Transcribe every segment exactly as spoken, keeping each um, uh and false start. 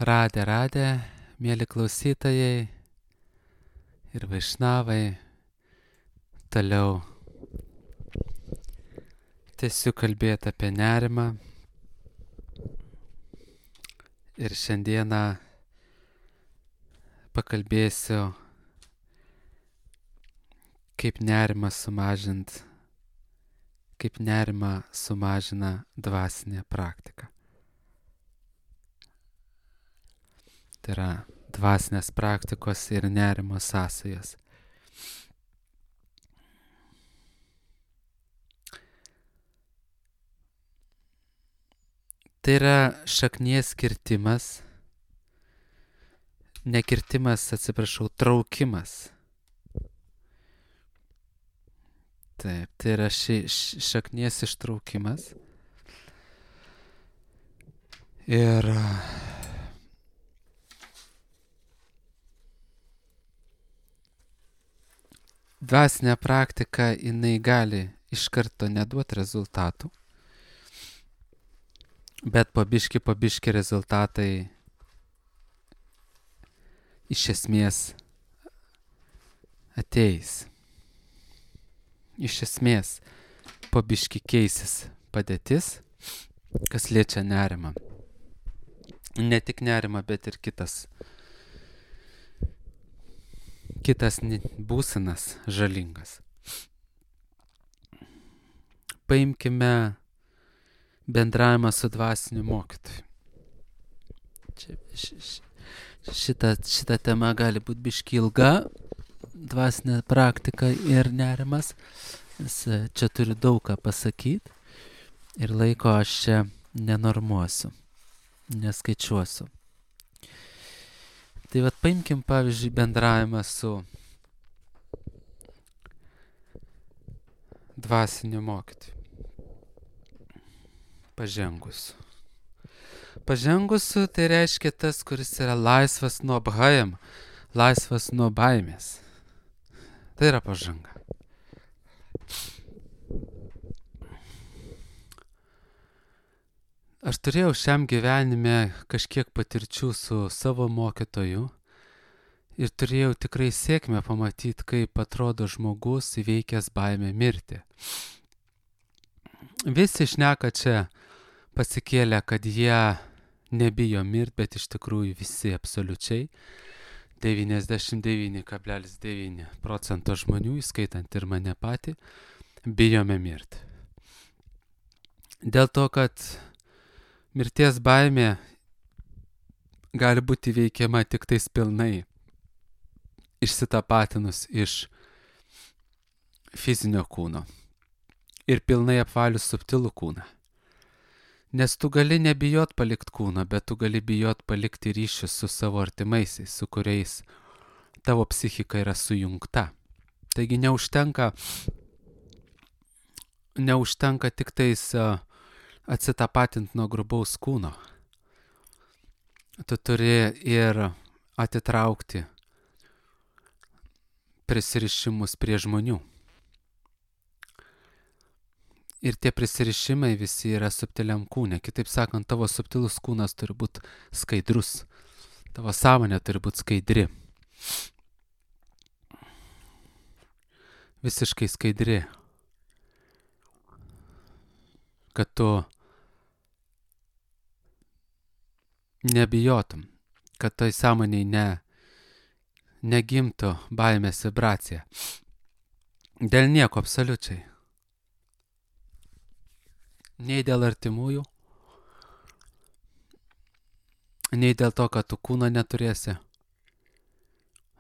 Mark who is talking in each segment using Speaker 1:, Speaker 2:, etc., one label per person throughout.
Speaker 1: Radė, radė, mėly klausytojai ir vaišnavai, toliau tęsiu kalbėti apie nerimą ir šiandieną pakalbėsiu, kaip nerimą sumažint, kaip nerimą sumažina dvasinė praktika. Tai yra dvasinės praktikos ir nerimo sąsajos. Tai yra šaknies kirtimas, ne kirtimas, atsiprašau, traukimas. Taip, tai yra ši, ši šaknies ištraukimas. Ir dvasinė praktika, jinai gali iš karto neduoti rezultatų, bet po biškį, po biškį rezultatai iš esmės ateis. Iš esmės po biškį keisis padėtis, kas liečia nerimą. Ne tik nerimą, bet ir kitas kitas būsenas žalingas. Paimkime bendravimą su dvasiniu mokytoju. Čia, ši, šita, šita tema gali būti biški ilga, dvasinė praktika ir nerimas. Nes čia turiu daug ką pasakyti ir laiko aš čia nenormuosiu, neskaičiuosiu. Tai vat paimkim pavyzdžiui bendravimą su dvasiniu mokytoju. Pažengusiu. Pažengusiu tai reiškia tas, kuris yra laisvas nuo bhajam, laisvas nuo baimės. Tai yra pažanga. Aš turėjau šiam gyvenime kažkiek patirčių su savo mokytoju ir turėjau tikrai sėkmę pamatyti, kaip atrodo žmogus įveikęs baimę mirti. Visi šneka čia pasikėlę, kad jie nebijo mirti, bet iš tikrųjų visi absoliučiai devyniasdešimt devyni kablelis devyni procento žmonių, įskaitant ir mane patį, bijome mirti. Dėl to, kad mirties baimė gali būti įveikiama tik tais pilnai išsitapatinus iš fizinio kūno ir pilnai apvalius subtilų kūną. Nes tu gali nebijot palikt kūną, bet tu gali bijot palikti ryšius su savo artimaisiais, su kuriais tavo psichika yra sujungta. Taigi neužtenka, neužtenka tik tais uh, atsitapatinti nuo grubaus kūno. Tu turi ir atitraukti prisirišimus prie žmonių. Ir tie prisirišimai visi yra subtiliam kūne. Kitaip sakant, tavo subtilus kūnas turi būti skaidrus. Tavo sąmonė turi būti skaidri. Visiškai skaidri. Kad tu nebijotum, kad toj sąmoniai ne, negimtų baimės vibracija. Dėl nieko absoliučiai. Nei dėl artimųjų, nei dėl to, kad tu kūno neturėsi,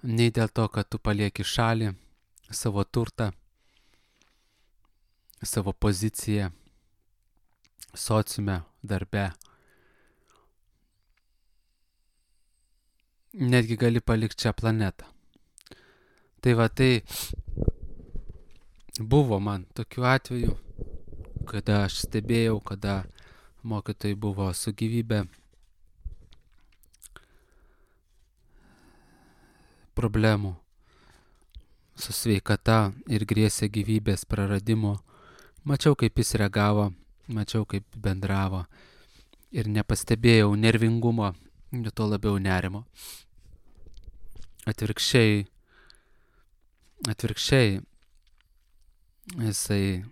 Speaker 1: nei dėl to, kad tu palieki šalį, savo turtą, savo poziciją, sociume, darbe. Netgi gali palikti čia planetą. Tai va, tai buvo man tokių atvejų, kada aš stebėjau, kada mokytojai buvo su gyvybe problemų, su sveikata ir grėsė gyvybės praradimu. Mačiau, kaip jis reagavo, mačiau, kaip bendravo ir nepastebėjau nervingumo tuo labiau nerimo. Atvirkščiai, atvirkščiai jisai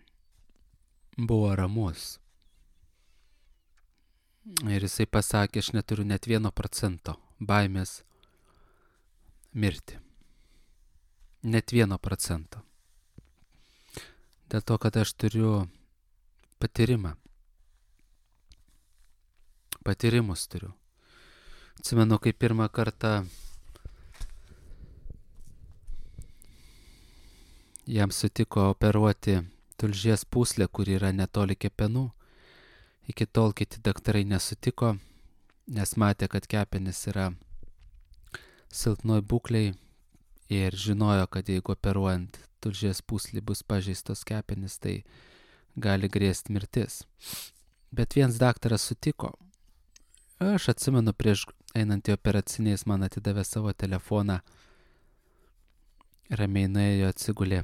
Speaker 1: buvo ramus. Ir jisai pasakė, aš neturiu net vieno procento baimės mirti. Net vieno procento. Dėl to, kad aš turiu patyrimą. Patyrimus turiu. Atsimenu, kai pirmą kartą jam sutiko operuoti tulžies pūslę, kuri yra netoli kepenų. Iki tol kiti daktarai nesutiko, nes matė, kad kepenys yra silpnoj būklei ir žinojo, kad jeigu operuojant tulžies pūslį bus pažeistos kepenys, tai gali grėsti mirtis. Bet vienas daktaras sutiko. Aš atsimenu, prieš einant į operacinę jis man atidavė savo telefoną, ramiai nuėjo, atsigulė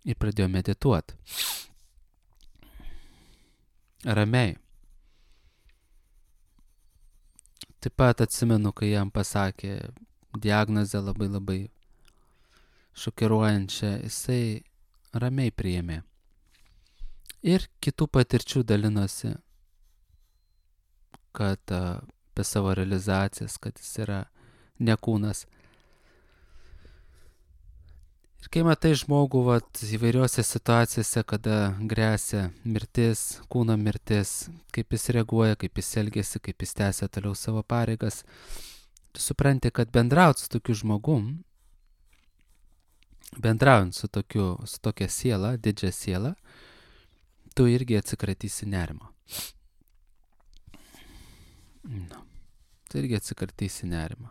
Speaker 1: ir pradėjo medituoti. Ramiai. Taip pat atsimenu, kai jam pasakė diagnozę labai labai šokiruojančią, jisai ramiai priėmė. Ir kitų patirčių dalinosi, kad apie savo realizacijas, kad jis yra ne kūnas. Ir kai matai žmogų vat, įvairiuose situacijose, kada grėsia mirtis, kūno mirtis, kaip jis reaguoja, kaip jis elgiasi, kaip jis tęsia toliau savo pareigas, tu supranti, kad bendraut su tokiu žmogum, bendraujant su, tokiu, su tokia siela, didžia siela, tu irgi atsikratysi nerimo. No. Tu irgi atsikratysi nerimo.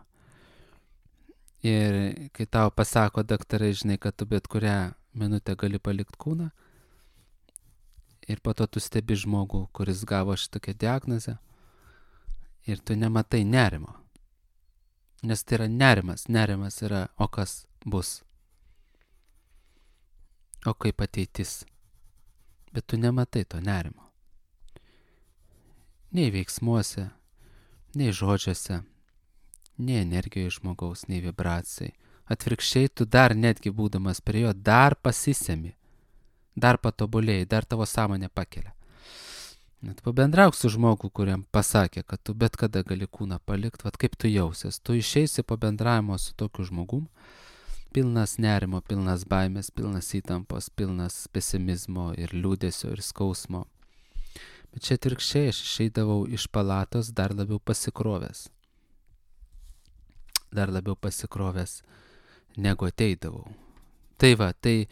Speaker 1: Ir kai tau pasako daktarai, žinai, kad tu bet kurią minutę gali palikti kūną, ir po to tu stebi žmogų, kuris gavo šitokią diagnozę, ir tu nematai nerimo. Nes tai yra nerimas. Nerimas yra, o kas bus? O kaip ateitis? Bet tu nematai to nerimo. Nei veiksmuose, nei žodžiuose, nei energijoje žmogaus, nei vibracijai. Atvirkščiai, tu dar netgi būdamas prie jo, dar pasisemi, dar patobulėjai, dar tavo sąmonė pakelia. Net pabendrauk su žmogu, kuriam pasakė, kad tu bet kada gali kūną palikti, vat kaip tu jausies. Tu išeisi po bendravimo su tokiu žmogum, pilnas nerimo, pilnas baimės, pilnas įtampos, pilnas pesimizmo ir liūdesio ir skausmo. Bet čia atvirkščiai, aš išeidavau iš palatos dar labiau pasikrovęs. Dar labiau pasikrovęs, negu ateidavau. Tai va, tai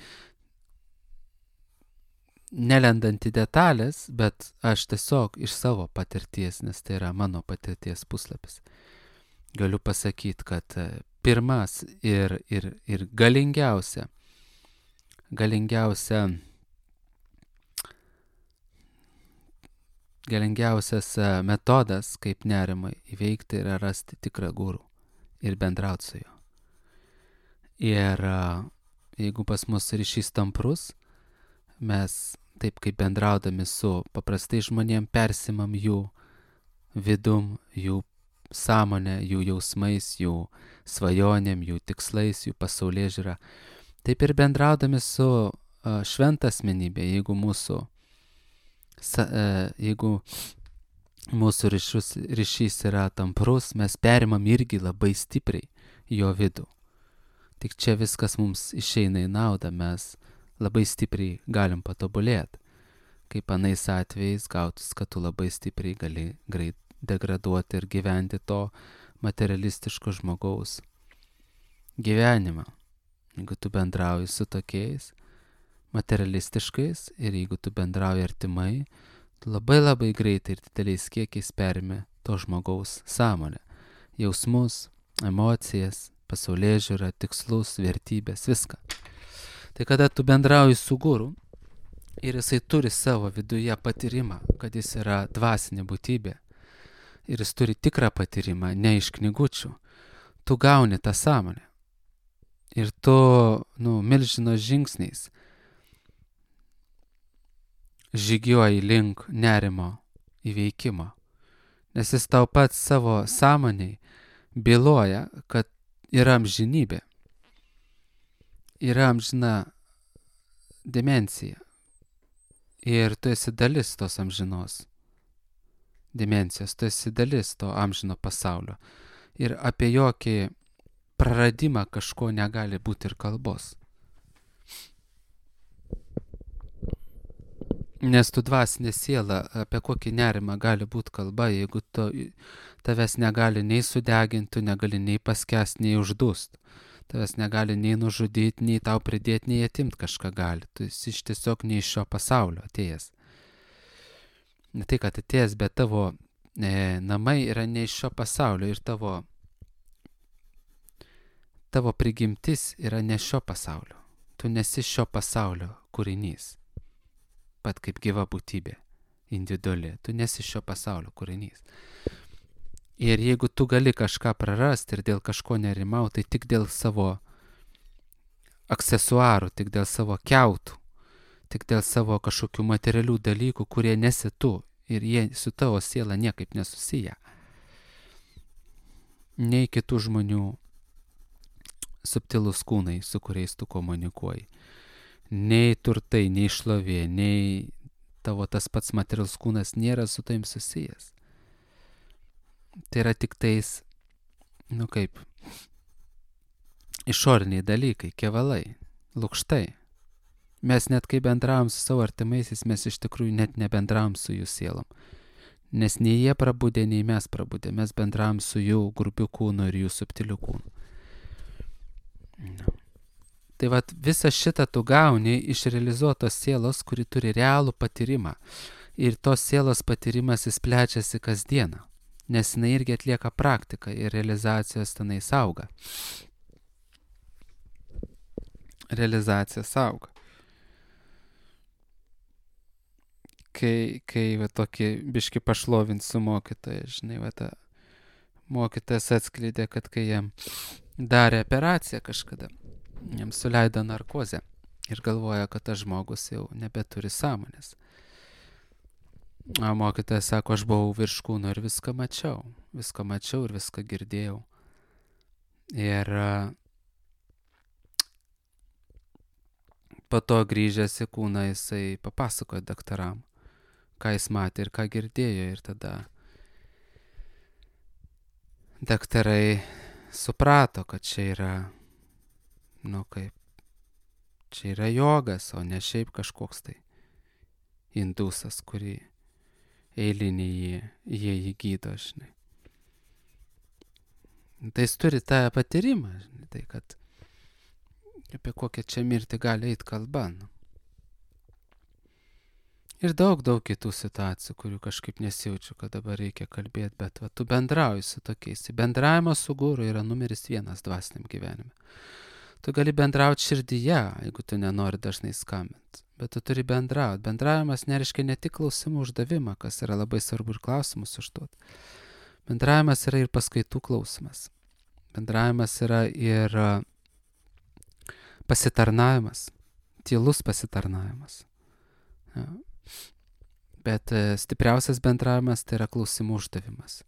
Speaker 1: nelendant į detalės, bet aš tiesiog iš savo patirties, nes tai yra mano patirties puslapis, galiu pasakyti, kad pirmas ir, ir, ir galingiausia, galingiausia, galingiausias metodas, kaip nerimą įveikti, yra rasti tikrą gurų ir bendrauti su juo. Ir jeigu pas mus ryšys tamprus, mes taip kaip bendraudami su paprastai žmonėm persimam jų vidum, jų sąmonę, jų jausmais, jų svajonėm, jų tikslais, jų pasaulėžiūra. Taip ir bendraudami su šventa asmenybė, jeigu mūsų, jeigu mūsų ryšus, ryšys yra tamprus, mes perimam irgi labai stipriai jo vidų. Tik čia viskas mums išeina į naudą, mes labai stipriai galim patobulėti. Kaip anais atvejais gautus, kad tu labai stipriai gali greit degraduoti ir gyventi to materialistiško žmogaus gyvenimą. Jeigu tu bendrauji su tokiais materialistiškais ir jeigu tu bendrauji artimai, labai labai greitai ir dideliais kiekiais perimi to žmogaus sąmonę, jausmus, emocijas, pasaulėžiūrą, tikslus, vertybės, viską. Tai kada tu bendrauji su guru ir jisai turi savo viduje patyrimą, kad jis yra dvasinė būtybė ir jis turi tikrą patyrimą, ne iš knygučių, tu gauni tą sąmonę ir tu, nu, milžino žingsniais žygiuoji link nerimo įveikimo, Nes jis tau pats savo sąmoniai byloja, kad yra amžinybė, yra amžina dimensija. Ir tu esi dalis tos amžinos dimensijos, tu esi dalis to amžino pasaulio. Ir apie jokį praradimą kažko negali būti ir kalbos. Nes tu dvasinė siela, apie kokį nerimą gali būti kalba, jeigu tu, tavęs negali nei sudeginti, tu negali nei paskęsti, nei uždust. Tavęs negali nei nužudyti, nei tau pridėti, nei atimti kažką gali. Tu esi tiesiog ne iš šio pasaulio atėjęs. Ne tai, kad atėjęs, bet tavo e, namai yra ne iš šio pasaulio ir tavo, tavo prigimtis yra ne šio pasaulio. Tu nesi šio pasaulio kūrinys. Pat kaip gyva būtybė, individuali. Tu nesi šio pasaulio kūrinys. Ir jeigu tu gali kažką prarasti ir dėl kažko nerimauti, tai tik dėl savo aksesuarų, tik dėl savo kiautų, tik dėl savo kažkokių materialių dalykų, kurie nesi tu ir jie su tavo siela niekaip nesusiję. Nei kitų žmonių subtilūs kūnai, su kuriais tu komunikuoji. Nei turtai, nei šlovė, nei tavo tas pats materialus kūnas nėra su tavim susijęs. Tai yra tik tais, nu kaip, išoriniai dalykai, kevalai, lukštai. Mes net kai bendravom su savo artimaisiais, mes iš tikrųjų net nebendravom su jų sielom. Nes nei jie prabudė, nei mes prabudė. Mes bendravom su jų grubiu kūnu ir jų subtiliu kūnu. No. Tai vat visą šitą tu gauni iš realizuotos sielos, kuri turi realų patyrimą. Ir tos sielos patyrimas jis plečiasi kasdieną. Nes jinai irgi atlieka praktiką ir realizacijos tenai auga. Realizacija auga. Kai, kai va tokį biškį pašlovinsiu mokytoją, žinai, va ta mokytojas atskleidė, kad kai jam darė operaciją kažkada, jam suleido narkozę ir galvoja, kad tas žmogus jau nebeturi sąmonės. O mokytojas sako, aš buvau virš kūno ir viską mačiau. Viską mačiau ir viską girdėjau. Ir po to grįžęs į kūną jisai papasakojo daktaram, ką jis matė ir ką girdėjo. Ir tada daktarai suprato, kad čia yra, nu kaip, čia yra jogas, o ne šiaip kažkoks tai indusas, kurį eilinį jie, jie jį gydo, žinai. Tai jis turi tą patyrimą, žinai, tai kad apie kokią čia mirtį gali eiti kalba. Nu. Ir daug, daug kitų situacijų, kurių kažkaip nesijaučiu, kad dabar reikia kalbėti, bet va, tu bendrauji su tokiais. Bendravimas su guru yra numeris vienas dvasiniam gyvenime. Tu gali bendrauti širdyje, jeigu tu nenori dažnai skambinti. Bet tu turi bendrauti. Bendravimas nereiškia ne tik klausimų uždavimą, kas yra labai svarbu ir klausimus užduoti. Bendravimas yra ir paskaitų klausimas. Bendravimas yra ir pasitarnavimas, tylus pasitarnavimas. Ja. Bet stipriausias bendravimas tai yra klausimų uždavimas.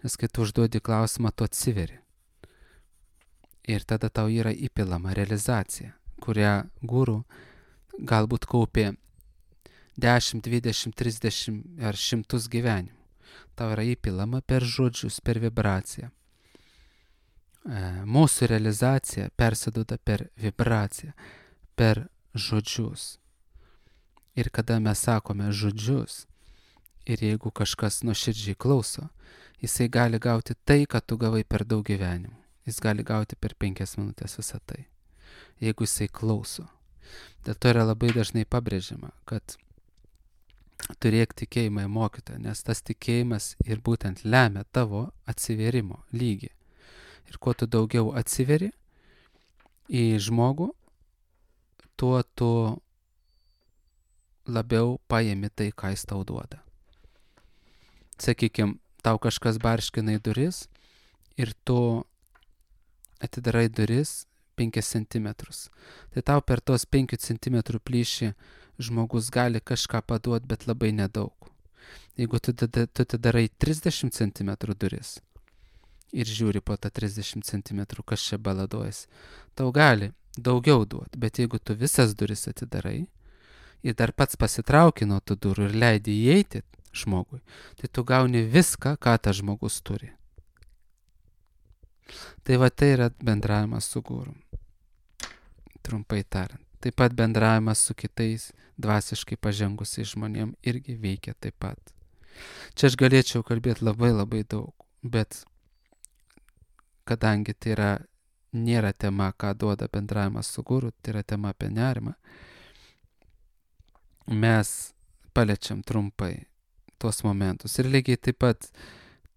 Speaker 1: Nes kai tu užduodi klausimą, tu atsiveri. Ir tada tau yra įpilama realizacija, kurią guru galbūt kaupė dešimt, dvidešimt, trisdešimt ar šimtus gyvenimų. Tau yra įpilama per žodžius, per vibraciją. Mūsų realizacija persiduoda per vibraciją, per žodžius. Ir kada mes sakome žodžius, ir jeigu kažkas nuoširdžiai klauso, jisai gali gauti tai, ką tu gavai per daug gyvenimų. Jis gali gauti per penkias minutės visą tai, jeigu jisai klauso. Dėl to yra labai dažnai pabrėžiama, kad turėk tikėjimą į mokytoją, nes tas tikėjimas ir būtent lemia tavo atsivėrimo lygį. Ir kuo tu daugiau atsiveri į žmogų, tuo tu labiau paimi tai, ką jis tau duoda. Sakykime, tau kažkas barškina į duris ir tu atidarai duris penkis centimetrus. Tai tau per tos penkių centimetrų plyšį žmogus gali kažką paduoti, bet labai nedaug. Jeigu tu, tu, tu, tu darai trisdešimt centimetrų duris ir žiūri po tą trisdešimt centimetrų, kas čia baladojas, tau gali daugiau duoti, bet jeigu tu visas duris atidarai ir dar pats pasitrauki nuo tų durų ir leidi įeiti žmogui, tai tu gauni viską, ką tas žmogus turi. Tai va tai yra bendravimas su guru. Trumpai tariant. Taip pat bendravimas su kitais dvasiškai pažengusiais žmonėm irgi veikia taip pat. Čia aš galėčiau kalbėti labai labai daug, bet kadangi tai yra, nėra tema, ką duoda bendravimas su guru, tai yra tema apie nerimą, mes paliečiam trumpai tuos momentus. Ir lygiai taip pat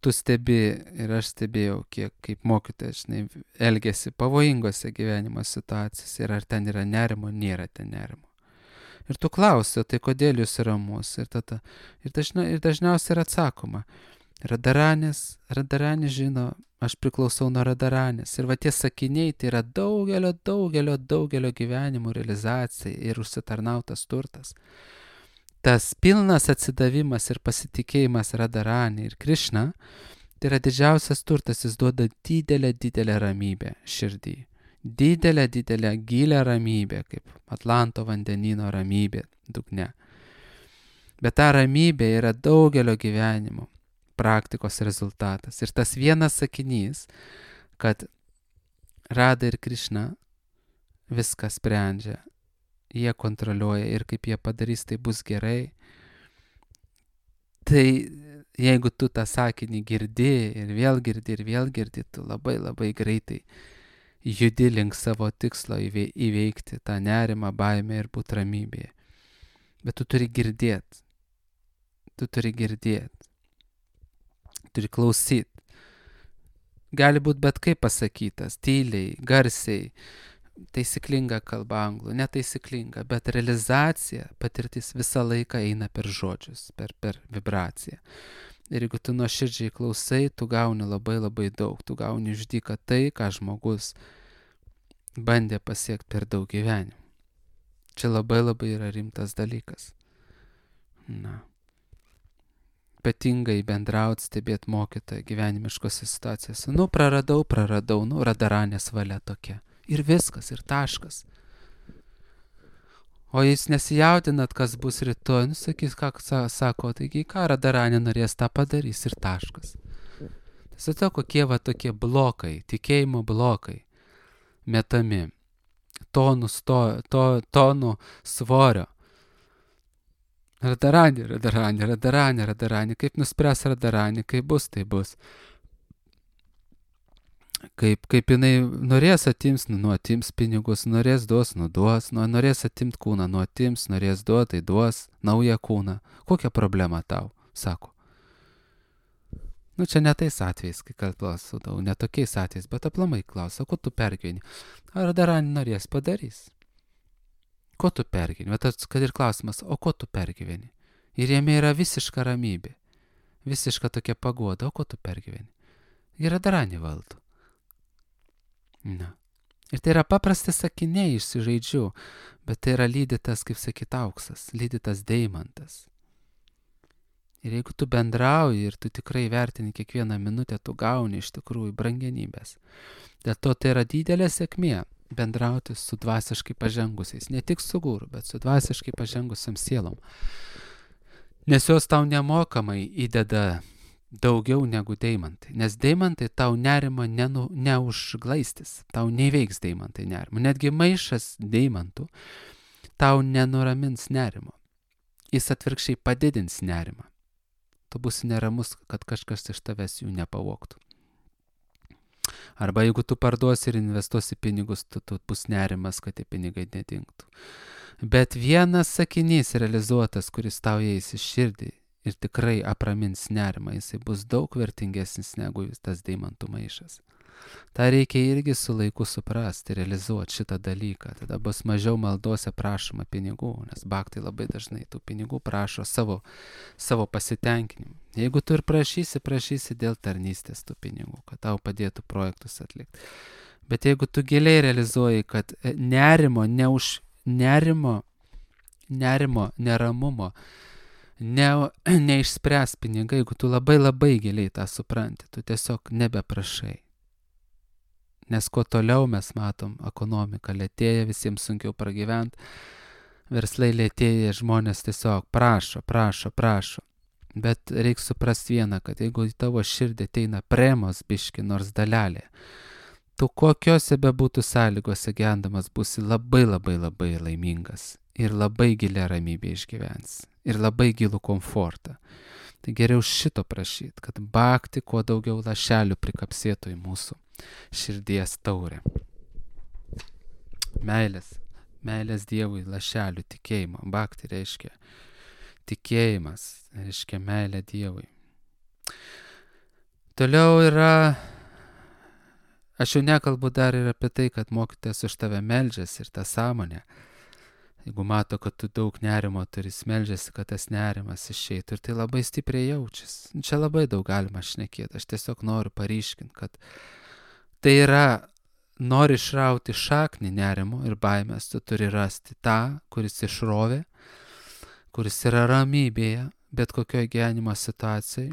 Speaker 1: tu stebi ir aš stebėjau, kiek kaip mokytojas, žinai, elgesi pavojingose gyvenimo situacijose ir ar ten yra nerimo, nėra ten nerimo. Ir tu klausi, tai kodėl jūs ramus? Ir, tada, ir, dažna, ir dažniausiai yra atsakoma, Radaranis, Radaranis žino, aš priklausau nuo Radaranės. Ir va tie sakiniai, tai yra daugelio, daugelio, daugelio gyvenimų realizacija ir užsitarnautas turtas. Tas pilnas atsidavimas ir pasitikėjimas Radharani ir Krishna, tai yra didžiausias turtas, jis duoda didelę, didelę ramybę širdį. Didelę, didelę, gilę ramybę, kaip Atlanto vandenino ramybė dugne. Bet ta ramybė yra daugelio gyvenimo praktikos rezultatas. Ir tas vienas sakinys, kad Radha ir Krishna viską sprendžia, jie kontroliuoja ir kaip jie padarys, tai bus gerai. Tai jeigu tu tą sakinį girdi ir vėl girdi ir vėl girdi, tu labai labai greitai judi link savo tikslo įveikti tą nerimą, baimę ir būt ramybėje. Bet tu turi girdėti. Tu turi girdėti. Turi klausyti. Gali būti bet kaip pasakytas, tyliai, garsiai, taisyklinga kalba anglų, netaisyklinga, bet realizacija, patirtis visą laiką eina per žodžius, per, per vibraciją. Ir jeigu tu nuoširdžiai klausai, tu gauni labai labai daug, tu gauni iš dyką tai, ką žmogus bandė pasiekti per daug gyvenimų. Čia labai labai yra rimtas dalykas. Na. Ypatingai bendrauti, stebėti mokytoją gyvenimiškose situacijose. Nu, praradau, praradau, nu, Radharanės valia tokia. Ir viskas, ir taškas. O jūs nesijaudinat, kas bus rytoj, nu, sakys, ką sako, taigi, ką Radharanė norės, tą padarys, ir taškas. Tai kokie va tokie blokai, tikėjimo blokai, metami, tonų, sto, to, tonų svorio. Radharanė, Radharanė, Radharanė, Radharanė, kaip nuspręs Radharanė, kaip bus, tai bus. Kaip, kaip jinai norės atims, nu, atims pinigus, norės duos, nu duos, nu, norės atimt kūną, nu atims, norės duot, tai duos naują kūną. Kokia problema tau, sako. Nu, čia ne tais atvejais, kai kalbas sudau, ne tokiais atvejais, bet aplamai klausia, ko tu pergyveni. Ar Radharanė norės, padarys. Ko tu pergyveni? Bet kad ir klausimas, o ko tu pergyveni? Ir jame yra visiška ramybė, visiška tokia paguoda, o ko tu pergyveni? Ir Radharanė valdo. Na. Ir tai yra paprasti sakiniai išsižaidžių, bet tai yra lydytas, kaip sakyt, auksas, lydytas deimantas. Ir jeigu tu bendrauji ir tu tikrai vertini kiekvieną minutę, tu gauni iš tikrųjų brangenybės. Dėl to tai yra didelė sėkmė bendrauti su dvasiškai pažengusiais, ne tik su guru, bet su dvasiškai pažengusiam sielom. Nes jos tau nemokamai įdeda daugiau negu deimantai. Nes deimantai tau nerima nenu, neužglaistis, tau neveiks deimantai nerimo. Netgi maišas deimantų tau nenuramins nerimo. Jis atvirkščiai padidins nerimą. Tu būsi neramus, kad kažkas iš tavęs jų nepavogtų. Arba jeigu tu parduosi ir investuosi pinigus, tu, tu bus nerimas, kad tie pinigai nedingtų. Bet vienas sakinys realizuotas, kuris tau eis į širdį ir tikrai apramins nerimą, jisai bus daug vertingesnis negu tas deimantų maišas. Ta reikia irgi su laiku suprasti, realizuoti šitą dalyką. Tada bus mažiau maldose prašoma pinigų, nes bhaktai labai dažnai tų pinigų prašo savo, savo pasitenkinimu. Jeigu tu ir prašysi, prašysi dėl tarnystės tų pinigų, kad tau padėtų projektus atlikti. Bet jeigu tu giliai realizuoji, kad nerimo, neuž, nerimo, nerimo, neramumo ne, neišspręs pinigai, jeigu tu labai labai giliai tą supranti, tu tiesiog nebeprašai. Nes kuo toliau mes matom, ekonomika lėtėja, visiems sunkiau pragyventi, verslai lėtėja, žmonės tiesiog prašo, prašo, prašo. Bet reikia suprasti vieną, kad jeigu į tavo širdį ateina premos biški nors dalelė, tu kokiose bebūtų sąlygose gendamas būsi labai labai labai laimingas ir labai gilią ramybę išgyvensi ir labai gilų komfortą. Tai geriau šito prašyti, kad bakti kuo daugiau lašelių prikapsėtų į mūsų širdies taurę. Meilės, meilės Dievui lašelių tikėjimo. Bakti reiškia tikėjimas, reiškia meilė Dievui. Toliau yra, aš jau nekalbu dar ir apie tai, kad mokytojas už tave meldžiasi ir tą sąmonę. Jeigu mato, kad tu daug nerimo turi, meldžiasi, kad tas nerimas išeitų ir tai labai stipriai jaučiasi. Čia labai daug galima šnekėti, aš tiesiog noriu paryškinti, kad tai yra, nori išrauti šaknį nerimo ir baimės, tu turi rasti tą, kuris išrovė, kuris yra ramybėje, bet kokioje gyvenimo situacijai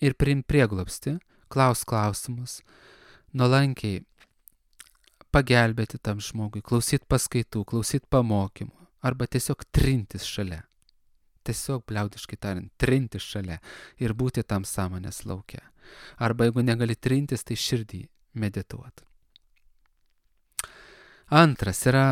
Speaker 1: ir priimti prieglobstį, klaus klausimus, nuolankiai pagelbėti tam žmogui, klausyti paskaitų, klausyti pamokymų, arba tiesiog trintis šalia. Tiesiog bliaudiškai tariant, trintis šalia ir būti tam sąmonės lauke. Arba jeigu negali trintis, tai širdį medituoti. Antras yra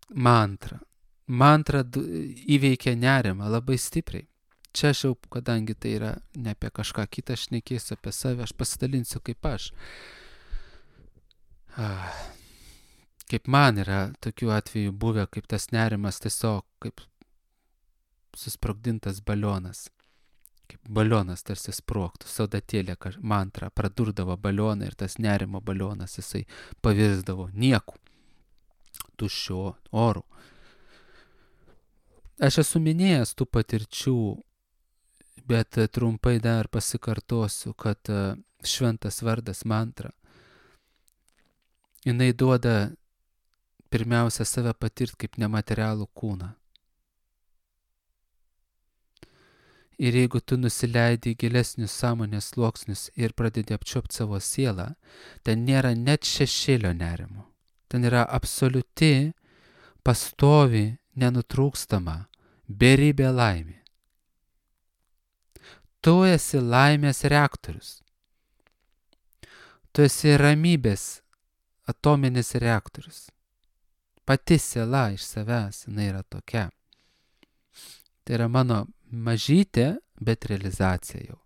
Speaker 1: mantra. Mantra įveikia nerimą labai stipriai. Čia aš jau, kadangi tai yra ne apie kažką kitą, aš šnekėsiu apie save, aš pasidalinsiu kaip aš. Kaip man yra tokių atvejų buvę, kaip tas nerimas tiesiog kaip susprogdintas balionas. Kaip balionas tarsi sprogtų, saudatėlė mantra pradurdavo balioną ir tas nerimo balionas jisai pavirsdavo nieku, tuščiu oru. Aš esu minėjęs tų patirčių, bet trumpai dar pasikartosiu, kad šventas vardas mantra jinai duoda pirmiausia save patirti kaip nematerialų kūną. Ir jeigu tu nusileidi į gilesnius sąmonės sluoksnius ir pradedi apčiuopti savo sielą, ten nėra net šešėlio nerimo. Ten yra absoliuti, pastovi, nenutrūkstama, beribė laimė. Tu esi laimės reaktorius. Tu esi ramybės atominis reaktorius. Pati siela iš savęs, jinai yra tokia. Tai yra mano mažytė, bet realizacija jau.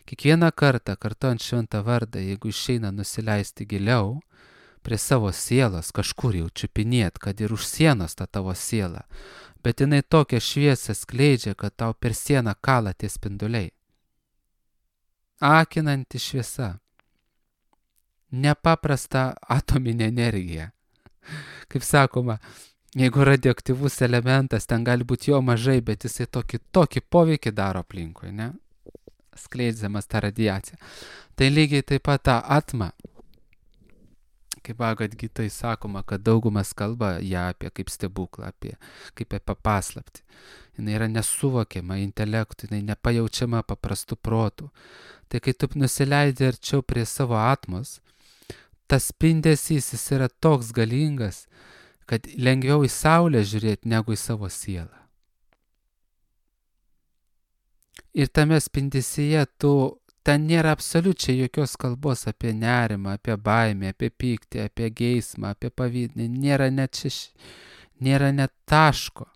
Speaker 1: Kiekvieną kartą, kartuojant šventą vardą, jeigu išeina nusileisti giliau, prie savo sielos kažkur jau čiupinėt, kad ir už sienos tą tavo sielą, bet jinai tokią šviesą skleidžia, kad tau per sieną kala tie spinduliai. Akinanti šviesa. Nepaprasta atominė energija. Kaip sakoma, jeigu radioaktyvus elementas, ten gali būti jo mažai, bet jisai tokį, tokį poveikį daro aplinkui, ne? Skleidžiamas tą radiaciją. Tai lygiai taip pat tą atmą, kaip Bhagavad Gitai sakoma, kad daugumas kalba ją apie kaip stebuklą, apie kaip apie paslaptį. Jis yra nesuvokiama intelektu, jinai nepajaučiama paprastų protų. Tai kai tu nusileidi arčiau prie savo atmos, tas spindesys jis yra toks galingas, kad lengviau į saulę žiūrėti negu į savo sielą. Ir tame spindesyje tu, ten nėra absoliučiai jokios kalbos apie nerimą, apie baimę, apie pyktį, apie geismą, apie pavydą. Nėra net, šeš... nėra net taško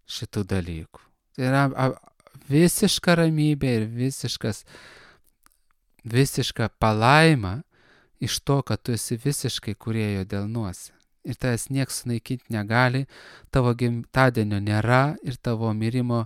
Speaker 1: šitų dalykų. Tai yra visiška ramybė ir visiškas, visiška palaima iš to, kad tu esi visiškai kūrėjo delnuose. Ir tavęs nieks sunaikinti negali, tavo gimtadienio nėra ir tavo mirimo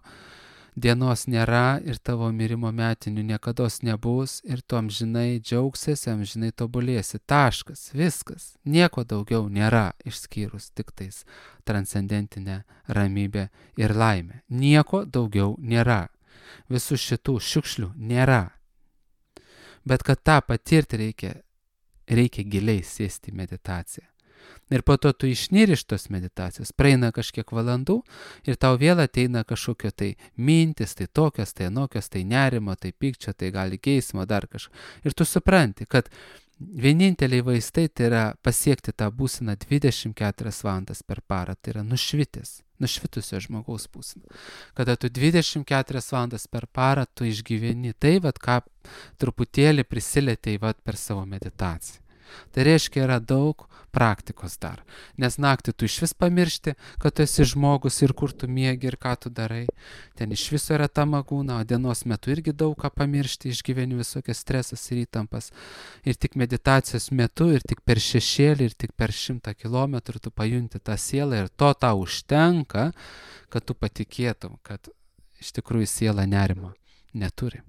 Speaker 1: dienos nėra ir tavo mirimo metinių niekados nebus ir tu amžinai džiaugsiesi, amžinai tobulėsi. Taškas, viskas. Nieko daugiau nėra išskyrus tik tais transcendentinę ramybę ir laimę. Nieko daugiau nėra. Visų šitų šiukšlių nėra. Bet kad tą patirti reikia, reikia giliai sėsti į meditaciją. Ir po to tu išnyri iš tos meditacijos, praeina kažkiek valandų ir tau vėl ateina kažkokio tai mintis, tai tokios, tai anokios, tai nerimo, tai pykčio, tai gali geismo, dar kažką. Ir tu supranti, kad vieninteliai vaistai tai yra pasiekti tą būseną dvidešimt keturias valandas per parą, tai yra nušvitęs, nušvitusio žmogaus būsena. Kada tu dvidešimt keturias valandas per parą tu išgyveni tai, vat, ką truputėlį prisilietei vat, per savo meditaciją. Tai reiškia, yra daug praktikos dar, nes naktį tu iš vis pamiršti, kad tu esi žmogus ir kur tu miegi ir ką tu darai. Ten iš viso yra ta magūna, o dienos metu irgi daug ką pamiršti, išgyveni visokias stresas ir įtampas. Ir tik meditacijos metu, ir tik per šešėlį, ir tik per šimtą kilometrų tu pajunti tą sielą ir to tau užtenka, kad tu patikėtum, kad iš tikrųjų siela nerimo neturi.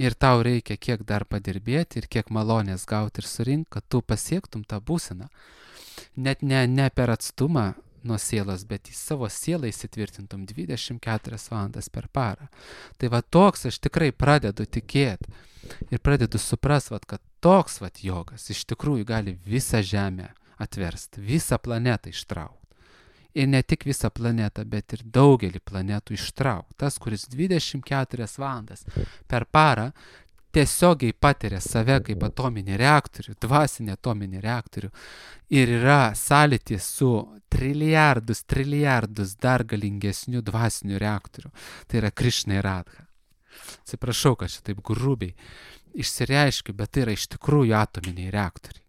Speaker 1: Ir tau reikia kiek dar padirbėti ir kiek malonės gauti ir surinkti, kad tu pasiektum tą būseną. Net ne, ne per atstumą nuo sielos, bet į savo sielą įsitvirtintum dvidešimt keturias valandas per parą. Tai va toks aš tikrai pradedu tikėti ir pradedu suprast, va, kad toks va jogas iš tikrųjų gali visą žemę atversti, visą planetą ištraukti. Ir ne tik visą planetą, bet ir daugelį planetų ištraukti. Tas, kuris dvidešimt keturias valandas per parą tiesiogiai patiria save kaip atominį reaktorių, dvasinį atominį reaktorių ir yra sąlytis su trilijardus, trilijardus dar galingesnių dvasinių reaktorių. Tai yra Krišna ir Radha. Atsiprašau, kad šitaip grubiai išsireiškiu, bet tai yra iš tikrųjų atominiai reaktoriai.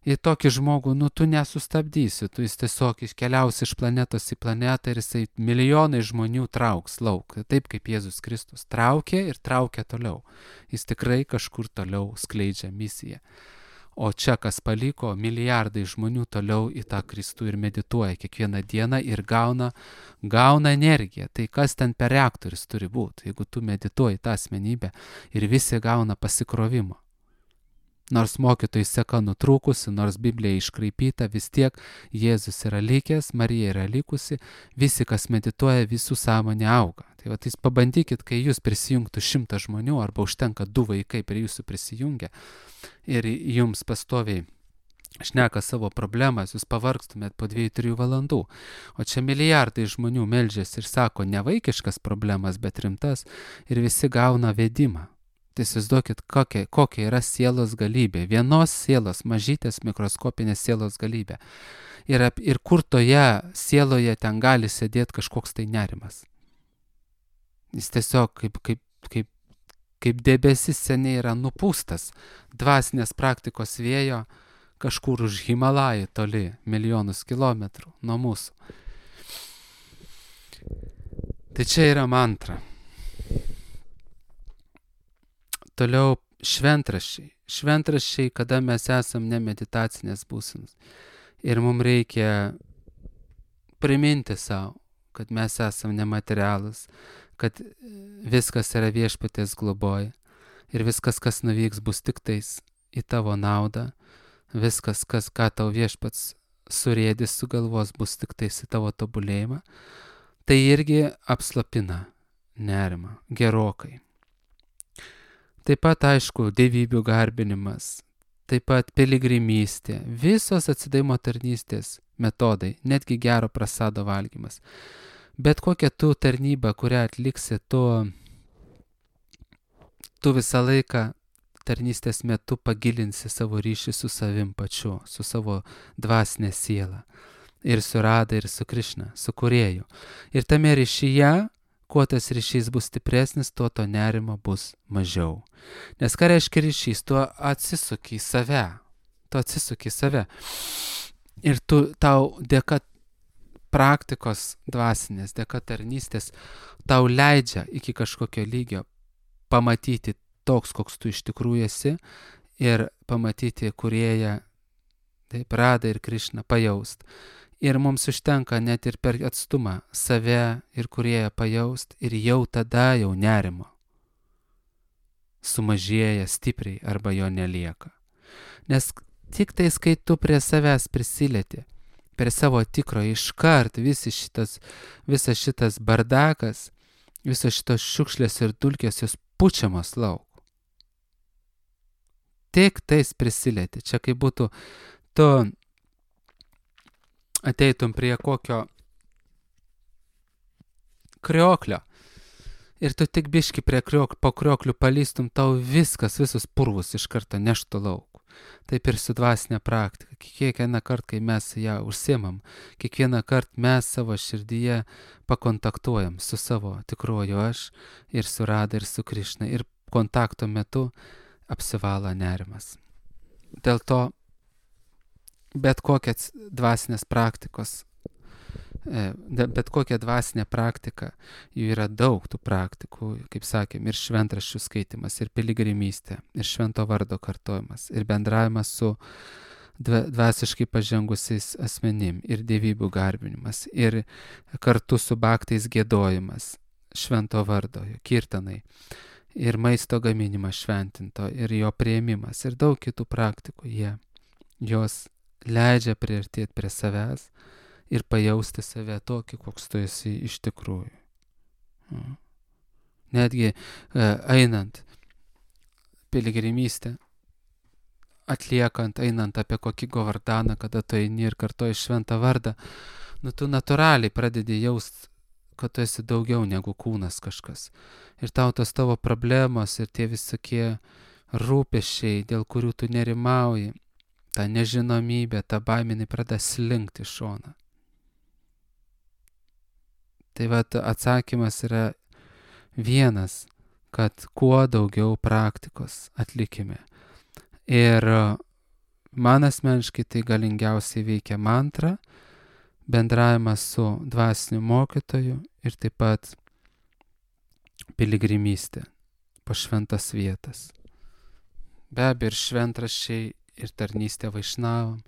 Speaker 1: Ir tokį žmogų, nu, tu nesustabdysi, tu jis tiesiog iškeliausi iš planetos į planetą ir jisai milijonai žmonių trauks lauk. Taip kaip Jėzus Kristus traukė ir traukė toliau. Jis tikrai kažkur toliau skleidžia misiją. O čia, kas paliko, milijardai žmonių toliau į tą Kristų ir medituoja kiekvieną dieną ir gauna, gauna energiją. Tai kas ten per reaktorius turi būti, jeigu tu medituoji tą asmenybę ir visi gauna pasikrovimą. Nors mokytojai seka nutrūkusi, nors Biblija iškraipyta, vis tiek Jėzus yra likęs, Marija yra likusi, visi, kas medituoja, visų sąmonė auga. Tai va, tai pabandykit, kai jūs prisijungtų šimtą žmonių, arba užtenka du vaikai prie jūsų prisijungia ir jums pastoviai šneka savo problemas, jūs pavargstumėt po dviejų trijų valandų. O čia milijardai žmonių meldžiasi ir sako ne vaikiškas problemas, bet rimtas ir visi gauna vedimą. Tai įsivaizduokit, kokia, kokia yra sielos galybė. Vienos sielos, mažytės mikroskopinės sielos galybė. Ir, ir kur toje sieloje ten gali sėdėti kažkoks tai nerimas. Jis tiesiog kaip, kaip, kaip, kaip debesis seniai yra nupūstas dvasinės praktikos vėjo kažkur už Himalajų toli, milijonus kilometrų nuo mūsų. Tai čia yra mantra. Toliau šventraščiai. Šventraščiai, kada mes esam ne meditacinės būsenos. Ir mums reikia priminti savo, kad mes esam nematerialūs, kad viskas yra viešpaties globoj. Ir viskas, kas nuvyks, bus tik tais į tavo naudą. Viskas, kas, ką tau viešpats surėdis sugalvos, bus tik tais į tavo tobulėjimą. Tai irgi apslapina nerimą gerokai. Taip pat, aišku, dievybių garbinimas, taip pat piligrimystė, visos atsidavimo tarnystės metodai, netgi gero prasado valgymas. Bet kokia tu tarnyba, kurią atliksi, tu, tu visą laiką tarnystės metu pagilinsi savo ryšį su savim pačiu, su savo dvasinė siela. Ir su Radha, ir su Krišna, su Kūrėju. Ir tame ryšyje, kuo tas ryšys bus stipresnis, tuo to nerimo bus mažiau. Nes ką reiškia ryšys? Tu atsisuki į save. Tu atsisuki į save. Ir tu, tau dėka praktikos dvasinės, dėka tarnystės, tau leidžia iki kažkokio lygio pamatyti toks, koks tu iš tikrųjų esi ir pamatyti Kūrėją, taip, Radha ir Krišną, pajaust. Ir mums užtenka net ir per atstumą save ir Kūrėją pajaust ir jau tada jau nerimo sumažėja stipriai arba jo nelieka. Nes tik tais, kai tu prie savęs prisilieti, prie savo tikro iškart visi šitas, visas šitas bardakas, visos šitos šiukšlės ir dulkės jos pučiamos lauk. Tik tais prisilieti. Čia kaip būtų tu ateitum prie kokio krioklio ir tu tik biški prie kriok, po krioklių palystum, tau viskas, visus purvus iš karto neštų lauk. Taip ir su dvasinė praktika. Kiekvieną kartą, kai mes ją užsiemam, kiekvieną kartą mes savo širdyje pakontaktuojam su savo tikruoju aš ir su Rada ir su Krišna. Ir kontakto metu apsivala nerimas. Dėl to bet kokias dvasinės praktikos, bet kokia dvasinė praktika, jų yra daug tų praktikų, kaip sakėm, ir šventraščių skaitimas, ir piligrimystė, ir švento vardo kartojimas, ir bendravimas su dvasiškai pažengusiais asmenim, ir dievybių garbinimas, ir kartu su baktais giedojimas, švento vardo, kirtanai, ir maisto gaminimas šventinto, ir jo priėmimas, ir daug kitų praktikų, jie, jos leidžia priartėti prie savęs ir pajausti save tokį, koks tu esi iš tikrųjų. Netgi einant piligrimystę, atliekant, einant apie kokį Govardaną, kada tu eini ir kartoji šventą vardą, nu tu natūraliai pradedi jaust, kad tu esi daugiau negu kūnas kažkas. Ir tau tos tavo problemos ir tie visokie rūpesčiai, dėl kurių tu nerimauji, ta nežinomybė, ta baiminė pradeda slinkti šoną. Tai vat atsakymas yra vienas, kad kuo daugiau praktikos atlikime. Ir man asmeniškai tai galingiausiai veikia mantra, bendravimas su dvasiniu mokytoju ir taip pat piligrimystė po šventas vietas. Be abejo, ir šventraščiai, ir tarnystė vaišnavam,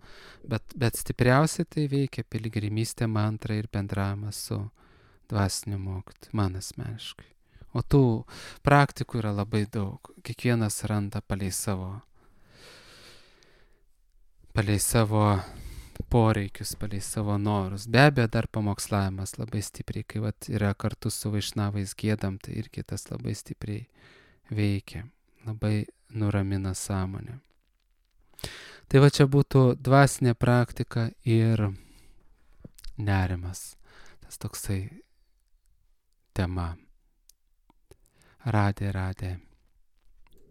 Speaker 1: bet, bet stipriausiai tai veikia piligrimystė, mantra ir bendravimas su dvasiniu mokytoju, man asmeniškai. O tų praktikų yra labai daug. Kiekvienas randa palei savo, palei savo poreikius, palei savo norus. Be abejo, dar pamokslavimas labai stipriai, kai vat, yra kartu su vaišnavais giedam, tai irgi tas labai stipriai veikia, labai nuramina sąmonę. Tai va čia būtų dvasinė praktika ir nerimas. Tas toksai tema. Radė, radė.